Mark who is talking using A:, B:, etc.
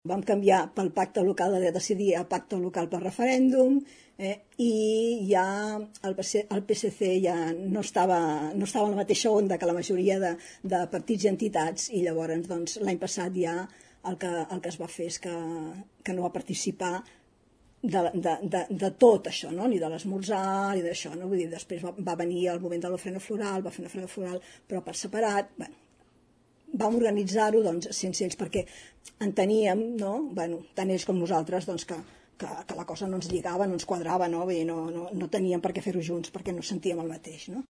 A: Vam canviar pel pacte local de decidir a pacte local per referèndum, i ja el PSC ja no estava en la mateixa onda que la majoria de partits i entitats, i llavors doncs, l'any passat ja el que es va fer és que no va participar de tot això, no? Ni de l'esmorzar ni d'això, no? Vull dir, després va venir el moment de l'ofrena floral, va fer una ofrena floral però per separat. Bueno, vam organitzar-ho doncs, sense ells perquè enteníem, no? Bueno, tant ells com nosaltres doncs, que la cosa no ens lligava, no ens quadrava, no? Vull dir, no teníem per què fer-ho junts perquè no sentíem el mateix, no?